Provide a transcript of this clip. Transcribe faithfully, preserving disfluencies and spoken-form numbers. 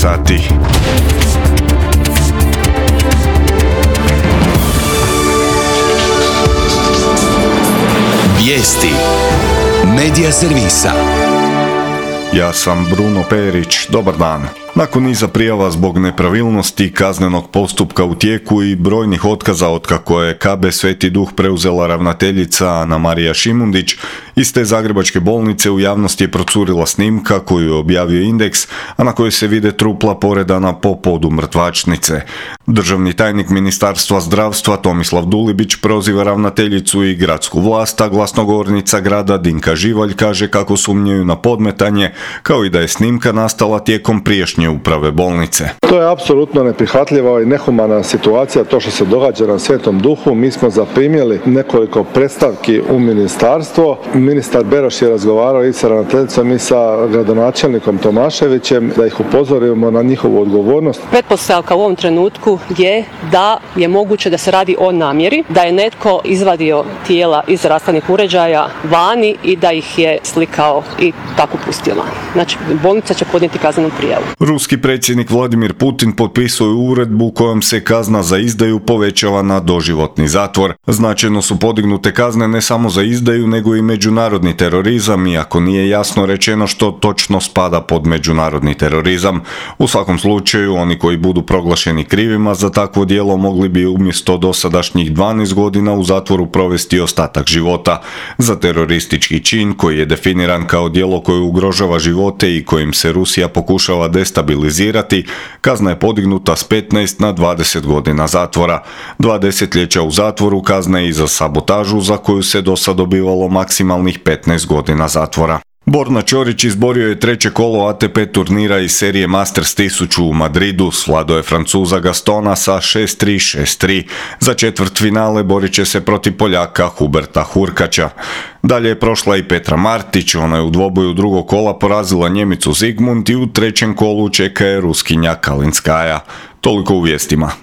sati. Vijesti Medija servisa. Ja sam Bruno Perić, dobar dan. Nakon niza prijava zbog nepravilnosti kaznenog postupka u tijeku i brojnih otkaza otkako je K B Sveti Duh preuzela ravnateljica Anamarija Šimundić, iz te zagrebačke bolnice u javnosti je procurila snimka koju je objavio Indeks, a na kojoj se vide trupla poredana po podu mrtvačnice. Državni tajnik Ministarstva zdravstva Tomislav Dulibić proziva ravnateljicu i gradsku vlast, a glasnogovornica grada Dinka Živalj kaže kako sumnjaju na podmetanje, kao i da je snimka nastala tijekom prijašnje uprave bolnice. To je apsolutno neprihvatljiva i nehumana situacija, to što se događa na Svetom Duhu. Mi smo zaprimili nekoliko predstavki u ministarstvo. Ministar Beroš je razgovarao i sa ravnateljicom i sa gradonačelnikom Tomaševićem da ih upozorimo na njihovu odgovornost. Pretpostavka u ovom trenutku je da je moguće da se radi o namjeri, da je netko izvadio tijela iz rashladnih uređaja vani i da ih je slikao i tako pustio van. Znači, bolnica će podnijeti kaznenu prijavu. Ruski predsjednik Vladimir Putin potpisuje uredbu kojom se kazna za izdaju povećava na doživotni zatvor. Značajno su podignute kazne ne samo za izdaju, nego i međunarodni terorizam, iako nije jasno rečeno što točno spada pod međunarodni terorizam. U svakom slučaju, oni koji budu proglašeni krivima za takvo djelo mogli bi umjesto dosadašnjih dvanaest godina u zatvoru provesti ostatak života. Za teroristički čin koji je definiran kao djelo koje ugrožava živote i kojim se Rusija pokušava destabilizirati, kazna je podignuta s petnaest na dvadeset godina zatvora. Dva desetljeća u zatvoru kazna je i za sabotažu za koju se dosad dobivalo maksimalnih petnaest godina zatvora. Borna Ćorić izborio je treće kolo A T P turnira iz serije Masters tisuću u Madridu, svladao je Francuza Gastona sa šest tri šest tri. Za četvrtfinale borit će se protiv Poljaka Huberta Hurkača. Dalje je prošla i Petra Martić, ona je u dvoboju drugog kola porazila Njemicu Zigmund i u trećem kolu čeka je Ruskinja Kalinskaja. Toliko u vijestima.